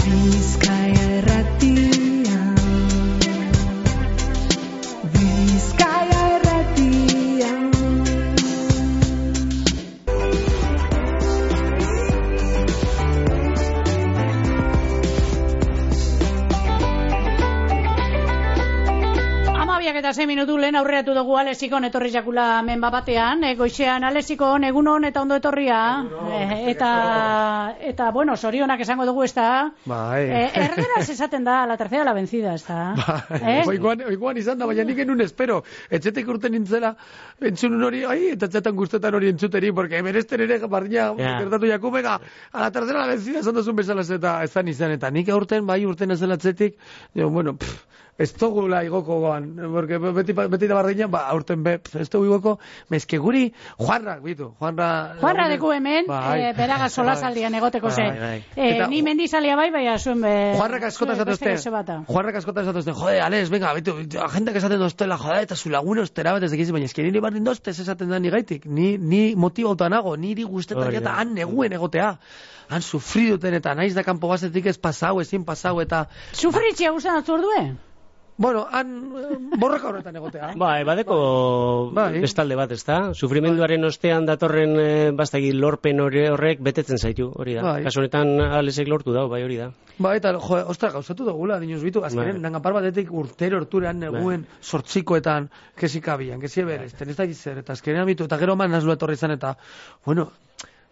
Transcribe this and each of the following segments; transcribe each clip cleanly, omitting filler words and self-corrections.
Bizkaia Irratia. Bizkaia Irratia. Eta 6 minutu lehen aurreatu dugu Alexikon etorri jakula menba batean, goixean Alexikon egunon eta ondo etorria, eta bueno, sorionak esango dugu, ez da? Erderaz esaten da, la tercera la vencida, ez da? Oikoan izan da, baina nik enun espero, etxetek urten nintzela, entzun hori, eta txatan guztetan hori entzuteri, porque berezten ere bardina gertatu jaku, bega, a la tercera la vencida esan duzun bezala eta ezan izan, eta nik urten ez dela etxetik, bueno, ez dugula igoko goan, porque beti da bardina, aurten ez dugu igoko, mezke guri, Juanrak, bitu, Juanra deku hemen, beraga solasaldian egoteko ze. Ni mendizalia baina zuen Juanrak askotan esatuzte, jode, Alex, venga, bitu, agendak esaten doztela, jode, eta zu lagune ostera bat ez dekizi, baina eski niri bardin doztez esaten da nigaitik, ni motibauta nago, niri guztetan eta han neguen egotea. Han sufriduten eta naiz da kanpo bazetik ez pasau, ezin pasau eta... Sufritzia guztan atzu ordue? Bueno, han borroka horretan egotea. Badeko bestalde bat, ez da? Sufrimenduaren ostean datorren bastagi lorpen horrek betetzen zaitu, hori da. Kasu honetan Alexek lortu dau, bai hori da. Eta, ostra, gauzatu dugula, dinuz bitu, azkenen, nangapar batetik urtero horturean neguen sortzikoetan, kesikabian, kesieberezten, ez da gizer, eta azkenen bitu, eta gero man nazlu etorri izan, eta, bueno...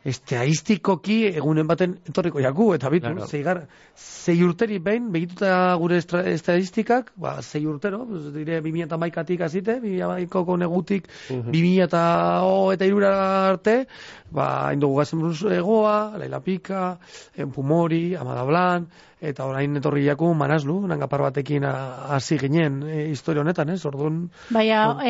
Estadistikoki egunen baten etorriko jaku, eta bitu, zei urteri behin, begituta gure estadistikak, 6 urtero, dire 2011-tik azite, 2011ko negutik, 2003 arte, indugu gazen buruz egoa, Laila Pika, Pumori, Amada Blan, eta orain etorri jaku Manaslu, nangapar batekin hasi ginen historia honetan, orduan... Baina,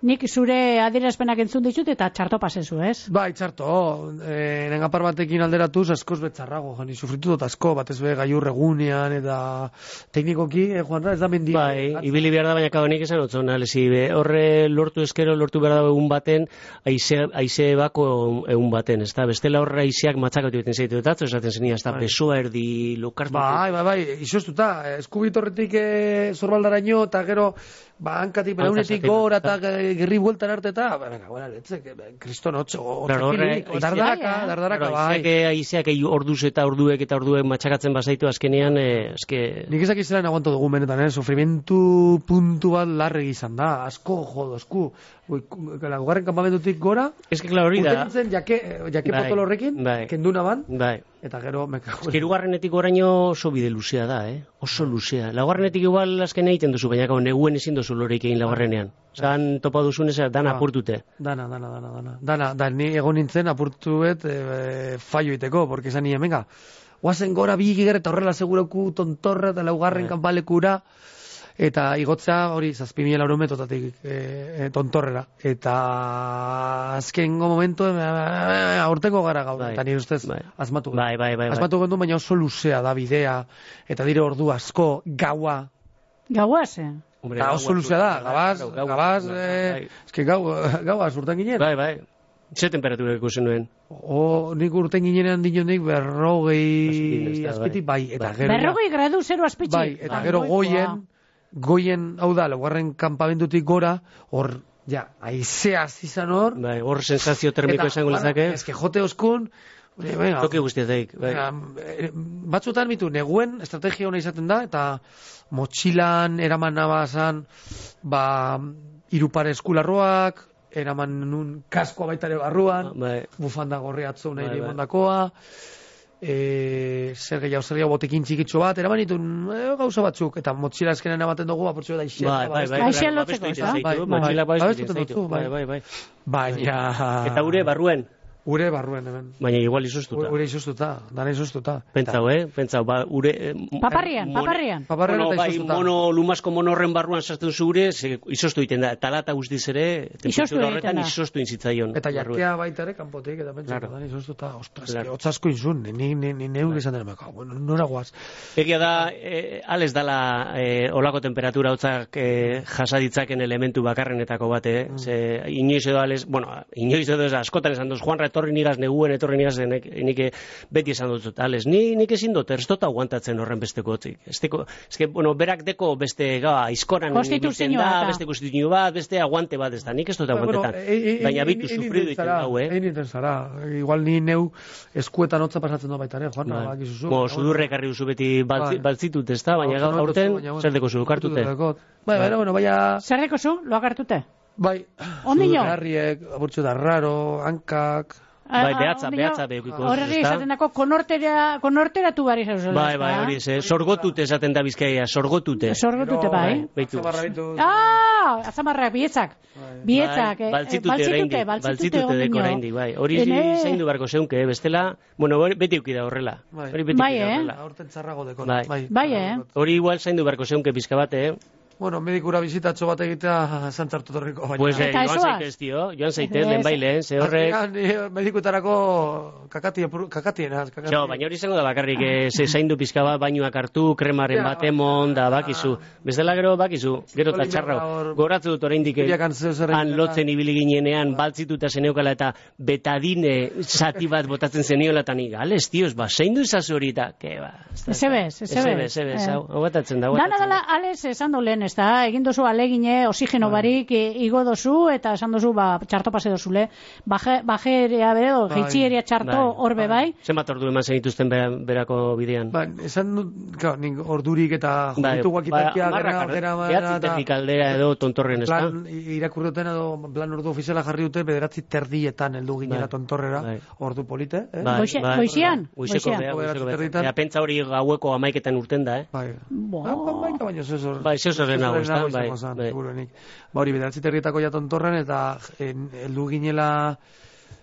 nik zure adierazpenak entzun ditut eta txarto pasezu, ez? Bai, txarto. Nengapar batekin alderatuz askoz betzarrago, jani, sufritu dut asko, batez be gaiur egunean eta teknikoki, Juanra, ez da mendia. Bai, ibili behar da, baina kadonik esan otzona, lezi, horre lortu behar da egun baten, aize bako egun baten, ez da? Bestela horre aizeak matzakatu beten zeitu, eta esaten zenia, ez da, besoa erdi lokartu. Bai, izostuta, eskubitorretik zorbaldaraino, eta gero, hankatik belaunetik gora eta gerri bueltan arte eta, kriston otxekirik, dardaraka, bai. Aizeak orduz eta orduek matxakatzen bazaitu azkenean, nik ezak izan aguanto dugu menetan, sufrimentu puntu bat larregi izan da, asko jodo, esku, gugarren kampamentutik gora, hori da, urten jake potolo horrekin, kenduna ban, eta gero hirugarrenetik oraino oso bide luzea da, oso luzea. Laugarrenetik igual azken egiten duzu, baina neguen ezin duzu loreik egin laugarrenean. Zan topa duzun ez, dana apurtute. Dana. Ni egon nintzen apurtuet fallo iteko, porque esan nien, venga, guazen gora bi giger eta horrela seguroku tontorra eta laugarren kanpalekura, eta igotzea hori 7.000 metotatik tontorrera. Eta azkengo momentu aurtengo gara gaur, eta nire ustez asmatu. Asmatu gendu, baina oso luzea da bidea, eta dire ordu asko, gaua. Gaua ze? Eta oso luzea da, gabaz, gaua urten ginen. Bai. Ze temperatura ikusen nuen? Nik urten ginenean dinonik 40 azpitik, bai, eta gero... 40 gradu 0 azpitik? Bai, eta gero goien, hau da, laugarren kanpamentutik gora, hor, aizeaz izan hor... Bai, hor sensazio termiko esango lezake. Ez que jote oskun... Toki guztiatek. Batzutan mitu, neguen estrategia hona izaten da, eta motxilan eraman nabazan, 3 pare eskularroak, eraman nun kaskoa baitare barruan, bufanda gorri atzo nahi dimondakoa, zer gehiago botekin txikitxo bat, eraman ditun gauza batzuk, eta motxila eskenean ematen dugu, apurtxo da aixean lotzeko, baina... Eta gure barruen? Ure barruen, hemen. Baina igual izostuta. Ure izostuta, dana izostuta. Pentsau, ure... Paparrian. Paparrian eta izostuta. Lumasko monorren barruan sartzen zu ure, izostu egiten da. Talata guztiz ere, temperatura horretan izostu inzitzaion. Eta jakea baita ere, kanpotik, eta pentsau, dana izostuta. Ostras, otzasko izun, ni neuk izan dena meka. Bueno, nora guaz. Egia da, ales dala olako temperatura hotzak jasaditzaken elementu bakarrenetako bate, inoiz edo ales, bueno, inoiz edo askotan esan duz, Juanra etorri nigaz neguen, etorri nigaz nik beti esan dut, ales, nik ezin dut, ez dut aguantatzen horren besteko otzik. Bueno, berak deko beste aizkoran ibiltzen da, beste konstituzio bat, beste aguante bat ez da, nik ez dut aguantetan. Baina bitu sufridu ditu hau, Egin zara, igual ni neu eskuetan hotza pasatzen da baita ere, Juan, bakizuzu. Sudurre ekarri duzu beti baltzitut, ez da, baina aurten zer deko zu, kartute. Baina... Zer deko zu, loak hartute? Bai, Ondino? Garriek, aburtxo da raro, hankak... Bai, behatza behukiko. Horregi esaten dako, konorteratu bari zauzela. Bai, hori, sorgotute esaten da Bizkaia, sorgotute. Sorgotute, bai. Azamarrak, bietzak. Bietzak, baltzitute deko oraindik, bai. Hori zaindu barko zeunke, bestela, bueno, beti eukida horrela. Bai, Horten txarrago deko. Bai, hori igual zaindu barko zeunke pizka bate, Bueno, medikura bizitatxo bat egitea zantzartu torriko. Pues joan zaitez, tio. Joan zaitez, lehen bailen, ze horrek... Medikuetarako kakatiena. Baina hori izango da bakarrik, ze zaindu pizka bat bainuak hartu, kremaren bat emon, da bakizu. Bestela gero bakizu, gero eta txarrao. Goratzu dut oraindik han lotzen ibili ginenean, baltzituta zeneukala eta betadine zati bat botatzen zeniola eta nik, ales, tios, zaindu izazu hori eta, ke ba. Ezebez, hau batatzen da. Dana, ales, esan dolen, ez da, egin dozu alegine, oxigeno barik igo dozu, eta esan dozu, txarto pase dozule, bajeria bedo, geitxieria txarto horbe bai. Zenbat ordu eman zenituzten berako bidean? Esan dut, nik ordurik eta jubitu guakitakia gara, behatzi aldera edo tontorren, ez da? Irakurruten edo plan ordu ofiziala jarri dute, bederatzi terdietan heldu ginera tontorrera, ordu polite. Goizian? Goizeko pentsa hori gaueko amaiketan urten da, Amaika baino zezor. Hori, bederatzi terrietako jatontorren eta heldu ginela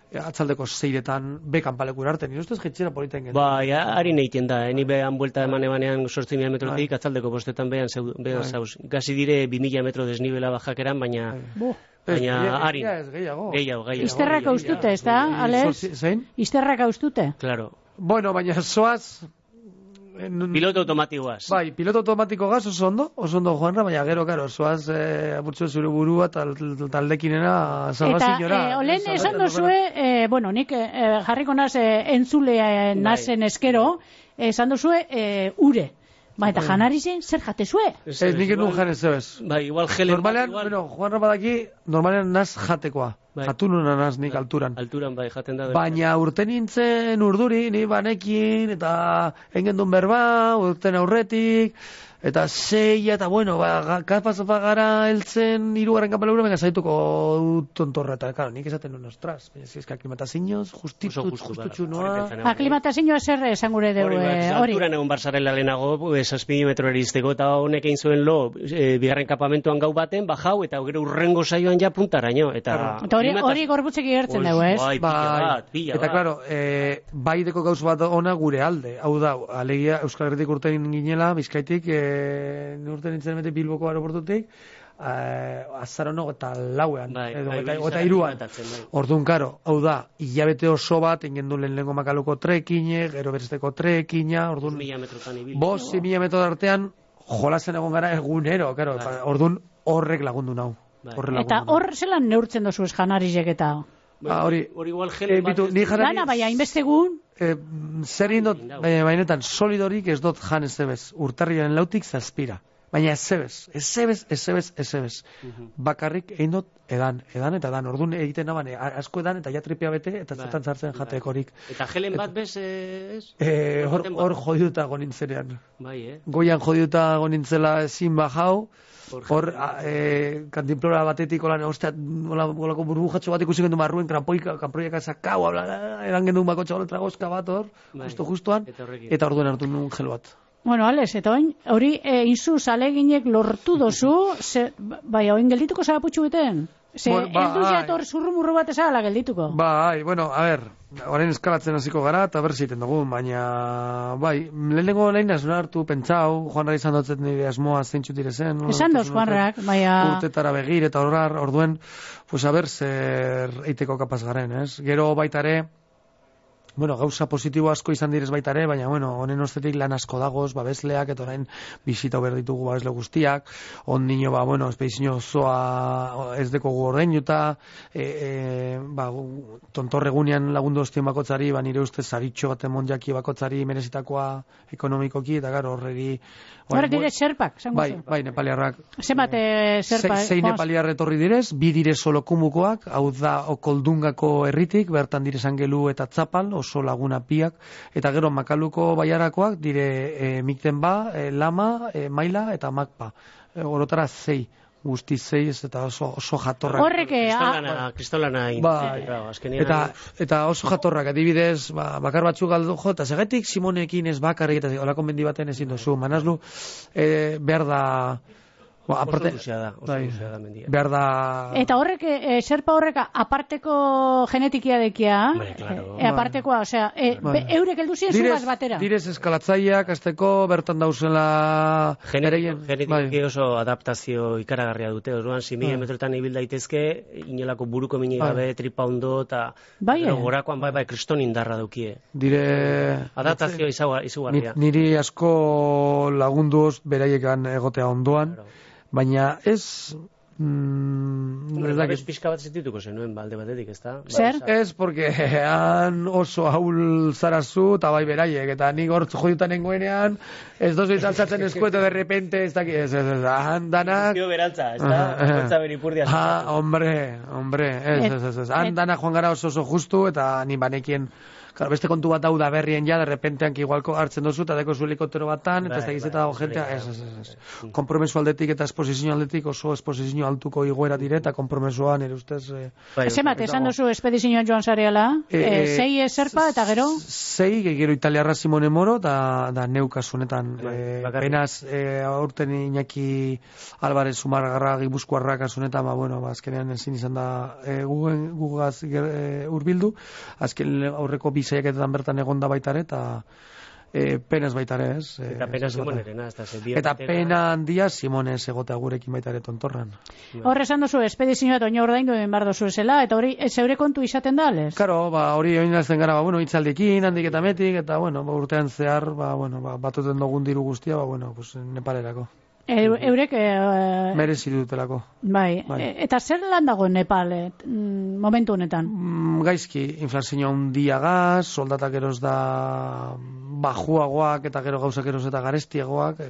atzaldeko 6etan bekan palekura arte, nire ustez jetxera politen genuen. Harin egiten da, ni behan buelta emanean 8.000 metrotik, atzaldeko 5etan behan zauz. Gazi dire 2.000 metro desnibela bajakeran, baina harin. Gehiago. Izterrak haustute, ez da, Ales? Izterrak haustute? Claro. Bueno, baina zoaz... Piloto automatikoaz. Bai, piloto automatiko gaz oso ondo Juanra, baina gero, karo, zoaz apurtzu zure burua taldekinena salvaziñora. Eta, olen esan dozue, bueno, nik jarriko naz entzulea nazen eskero, esan dozue ure. Eta janari zen, zer jate zue? Ez, nik enun jan ez zebez. Igual gelen. Normalean, bueno, Juanra badaki, normalean naz jatekoa. Jatu nuna naz nik alturan. Alturan, jaten da. Baina urten nintzen urduri, ni banekin, eta engendun berba, urten aurretik, eta 6, eta bueno, kapaz gara heltzen 3. kapalura, venga, zaituko tontorra, eta, claro, nik esaten nuen, ostras, ez que aklimatazioz, justutxu noa. Aklimatazioa zer esan gure dugu, hori. Alturan egun barzarela lehenago, 6 metro erizteko, eta honek egin zuen lo, bigarren kapamentuan gau baten, bajau, eta gero urrengo saioan ja puntaraino, eta hori gorbutzek igertzen dugu, ez? Bai, eta, claro, bai deko gauz bat ona gure alde. Hau da, alegia Euskal Herritik urten ginela, Bizkaitik, urten nintzen bete Bilboko aeroportutik, azarono eta lauean, eta 3an. Orduan, karo, hau da, hilabete oso bat, ingendu lehenengo Makaluko trekine, gero beresteko trekina, orduan, 5.000 metro artean, jolazen egon gara egunero, karo, orduan horrek lagundu nau. Eta hor zelan neurtzen dozu ez janarizek eta? Hori igual gelen bat... Dana, baina, inbestegun... Zer indot, bainetan, solidorik ez dut jan ez zebez, urtarriaren lautik zazpira. Baina ez zebez. Bakarrik egin dut edan, eta edan. Orduan egiten naban, asko edan, eta ja tripea bete, eta zetan zartzen jatekorik. Eta gelen bat bez, ez? Hor jodiuta gonintzenean. Bai, Goian jodiuta gonintzela ezin bajau, hor kantinplora batetik olan olako burbujatxo bat ikusi gendu marruen kanproiak azakau eran gendu bakotxa hori tragozka bat hor justuan eta orduan hartu nuen gel bat. Bueno, Ales, eta hori inzu zaleginek lortu dozu, bai, oin geldituko zara putxu beten? Ez du jator zurrumurru bat ezagala geldituko? Bai, bueno, a ver, orain eskalatzen hasiko gara, eta berzeiten dugu, baina, bai, lehenengo lehen ez hartu pentsau, Juanra izan dutzen nire asmoa zeintxut direzen. Esan doz, Juanrak, baina... Urtetara begir, eta orduen, pues a ber, zer eiteko kapaz garen, ez? Gero baitare, bueno, gauza positibo asko izan direz baita ere, baina, bueno, honen ostetik lan asko dagoz, babesleak, eta orain bisita behar ditugu babesle guztiak, ondino, bueno, espedizio osoa ez dekogu ordeinuta, tontorregunean lagundu ostien bakotzari, nire ustez zaritxo bat emon jaki bakotzari merezitakoa ekonomikoki, eta gara horregi... Horrek dire zerpak, zango zu? Bai, nepaliarrak. Zemat zerpa? Sei nepaliar etorri direz, 2 dire solokumukoak, hau da Okoldungako herritik, bertan dire Zangelu eta Tzapal, oso laguna piak, eta gero Makaluko baiarakoak dire Miktenba, Lama, Maila eta Makpa. Orotara 6. Guzti 6 eta oso jatorrak. Horrek... Kristolana eta oso jatorrak, adibidez, bakar batzuk galdu jo, eta segatik Simonekin ez bakarrik, eta olako mendi baten ezin dozu, manazlu, behar da... Oso luzea da mendia. Behar da... Eta horrek, serpa horrek aparteko genetikia dekia, apartekoa, osea, eurek heldu ziren zugaz batera. Direz eskalatzaileak, azteko bertan dauzela... Genetiki oso adaptazio ikaragarria dute, orduan, 6.000 metrotan ibil daitezke, inolako buruko mini gabe, tripa ondo, eta gorakoan, kriston indarra dukie. Adaptazio izugarria. Niri asko lagunduz beraiekan egotea ondoan, baina ez... Pizka bat zitituko zenuen balde batetik, ez da? Zer? Ez, porque han oso haul zarazu, eta bai beraiek, eta nik hor jodutan nengoenean, ez dozu izaltzatzen eskueto de repente, ez daki, ez, han danak... Zio berantza, ez da? Kontza beripurdia. Hombre, ez, han danak joan gara oso justu, eta ni banekien... Claro, beste kontu bat da berrien ja, de repentean ki igual hartzen dozu, eta deko zu helikoptero batan, eta ez da gizeta dago jentea, ez. Kompromesu aldetik eta esposizio aldetik oso esposizio altuko igoera dire, eta kompromesuan nire ustez... Zemat, esan dozu espedizioan joan zareala, 6 zerpa eta gero? 6, gero italiarra Simone Moro, da neukasunetan. Penaz, aurten Iñaki Alvarez Zumargarra Gipuzkoarrak asunetan, azkenean ezin izan da gugaz urbildu, azken aurreko saiaketetan bertan egonda baitare, eta penaz baitare, ez? Eta pena Simonerena, ez da. Eta pena handia Simonez egotea gurekin baitare tontorran. Horre esan dozu, espedizioa eta oino ordaindu egin behar dozu esela, eta hori zeure kontu izaten da, ales? Karo, hori oinazten gara, hitzaldekin, handik eta metik, eta, urtean zehar, batuten dugun diru guztia, Nepalerako. Eurek... Merezi dutelako. Bai. Eta zer lan dago Nepal momentu honetan? Gaizki, inflazioa handiagaz, soldatak geroz da bajuagoak eta gero gauzak geroz eta garestiagoak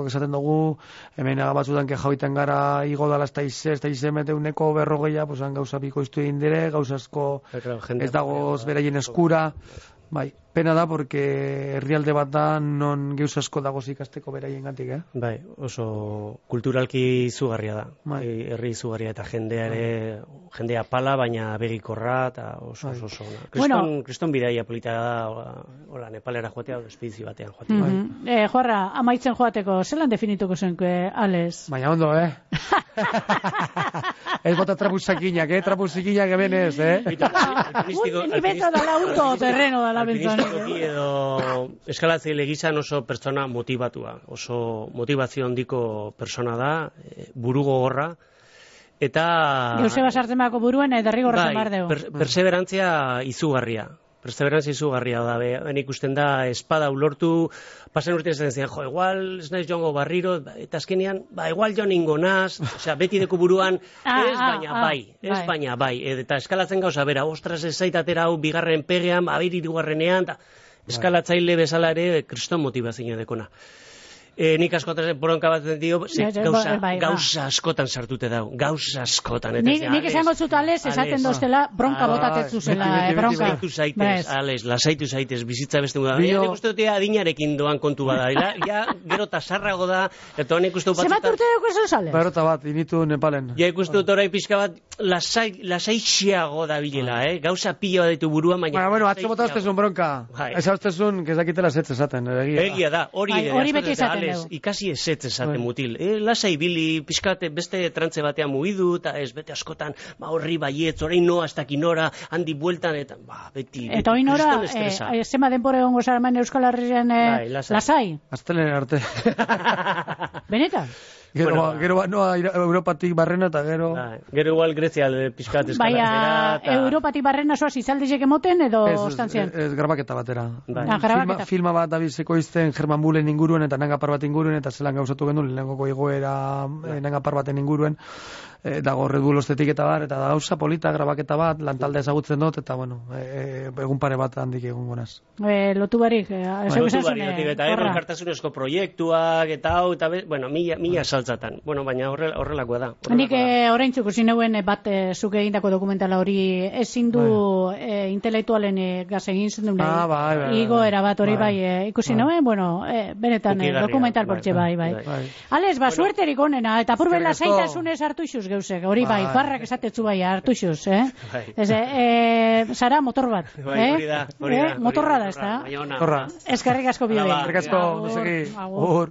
esaten dugu, hemen batzutan kejauiten gara igo dala ez da izemete uneko berrogeia, gauza bikoiztu egin dire, gauza asko ez dagoz beraien eskura. Bai, pena da, porque herrialde bat da non geuz asko dagoz ikasteko beraien gantik, Bai, oso kulturalki izugarria da. Herri izugarria eta jendea pala, baina begikorra, eta oso. Kriston bidaia polita da, hola, Nepalera joatea, espedizio batean joatea. Joarra, amaitzen joateko, zelan definituko zenke, Ales? Baina ondo, Ez bota trapuzakinak, trapuzikinak hemen ez, Ni beto da lauto terreno da la Alpinistikoki edo eskalatzaile gizan oso pertsona motivatua, oso motivazio handiko persona da, buru gogorra, eta... Joseba Sartemako buruen derrigorra mardeu. Perseverantzia izugarria. Da, ben ikusten da, espada ulortu, pasen urtean zaten zian, igual, ez naiz joango barriro, eta azkenean, igual joan ingo naz, beti deku buruan, baina bai, eta eskalatzen gauza, bera, ostras ez zaitatera hau bigarren pegean, abirirugarrenean, eskalatzaile bezala ere, kriston motivazioa dekona. Nik askotan boronka bat dio, gauza askotan sartute dau, gauza askotan. Nik esango zut, Ales, esaten doztela, bronka botatetzu zela, bronka. Lasaitu zaitez, bizitza beste muda. Nik uste dute adinarekin doan kontu bada, gero tasarrago da, eta honek uste dut batzutan... Zebat urte dugu esan, Ales? Berota bat, initu Nepalen. Ja, ikustu dut orain pixka bat, lasaixiago da bilela, gauza pila bat ditu buruan, baina... Bueno, atzo botaztezun bronka. Eza ustezun, kezakitela zetz esaten. Egia da, hori beti esaten. Ikasi ezetz esaten mutil. Lasai bili, pixkate beste trantze batean mugidu, eta ez bete askotan, horri baietz, orain noa, ez dakin nora, handi bueltan, eta beti... Eta hori nora, zema denpore gongo zaraman Euskal Herrian lasai? Aztelen arte. Benetan? Gero noa Europatik barrena eta gero... Gero igual Grezia pixkat eskalatzera. Baina, Europatik barrena zoaz izaldezek emoten edo ostantzian? Ez, grabaketa batera. Grabaketa. Filma bat abizeko izten German Bullen inguruen eta nangapar bat inguruen, eta zelan gauzatu genuen, lehenengoko igoera nangapar baten inguruen, dago Red Bull ostetik eta bar, eta da gauza polita, grabaketa bat, lantalde ezagutzen dut, eta bueno, egun pare bat handik egun gonaz. Lotu barik, eta elkartasunezko proiektuak, eta hau, eta bueno, mila saltzatan. Bueno, baina horrelakoa da. Nik oraintzuko zineuen bat zuk egindako dokumentala hori ezin du intelektualen gaz egin zen duen. Igoera bat hori bai ikusi nuen, bueno, benetan dokumental portxe bai. Ales, suerterik onena, eta purbela zaitasunez hartu izuz geusek, hori bai, farrak esatetzu bai hartu izuz, Zara motor bat, motorra da, ez da? Eskerrik asko bide. Eskerrik asko,